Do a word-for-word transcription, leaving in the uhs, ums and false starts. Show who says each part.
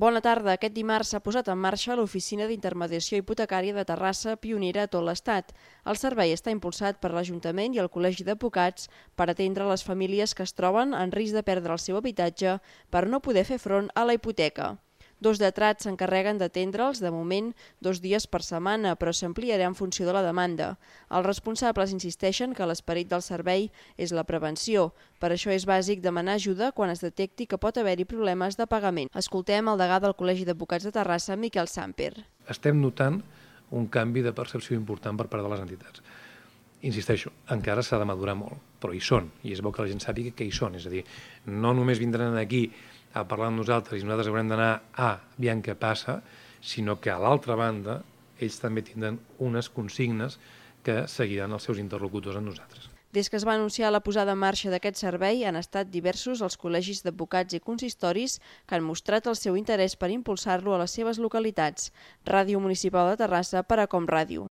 Speaker 1: Bona tarda. Aquest dimarts s'ha posat en marxa l'Oficina d'Intermediació Hipotecària de Terrassa, pionera a tot l'Estat. El servei està impulsat per l'Ajuntament i el Col·legi d'Advocats per atendre les famílies que es troben en risc de perdre el seu habitatge per no poder fer front a la hipoteca. Dos lletrats s'encarreguen d'atendre'ls, de moment, dos dies per setmana, però s'ampliarà en funció de la demanda. Els responsables insisteixen que l'esperit del servei és la prevenció. Per això és bàsic demanar ajuda quan es detecti que pot haver-hi problemes de pagament. Escoltem el degà del Col·legi d'Advocats de Terrassa, Miquel Samper.
Speaker 2: Estem notant un canvi de percepció important per part de les entitats. Insisteixo, encara s'ha de madurar molt, però hi són, i és bo que la gent sàpiga que hi són. És a dir, no només vindran aquí a parlar amb nosaltres i nosaltres haurem d'anar a veure què passa, sinó que a l'altra banda ells també tindran unes consignes que seguiran els seus interlocutors amb nosaltres.
Speaker 1: Des que es va anunciar la posada en marxa d'aquest servei han estat diversos els col·legis d'advocats i consistoris que han mostrat el seu interès per impulsar-lo a les seves localitats. Ràdio Municipal de Terrassa per a Com Ràdio.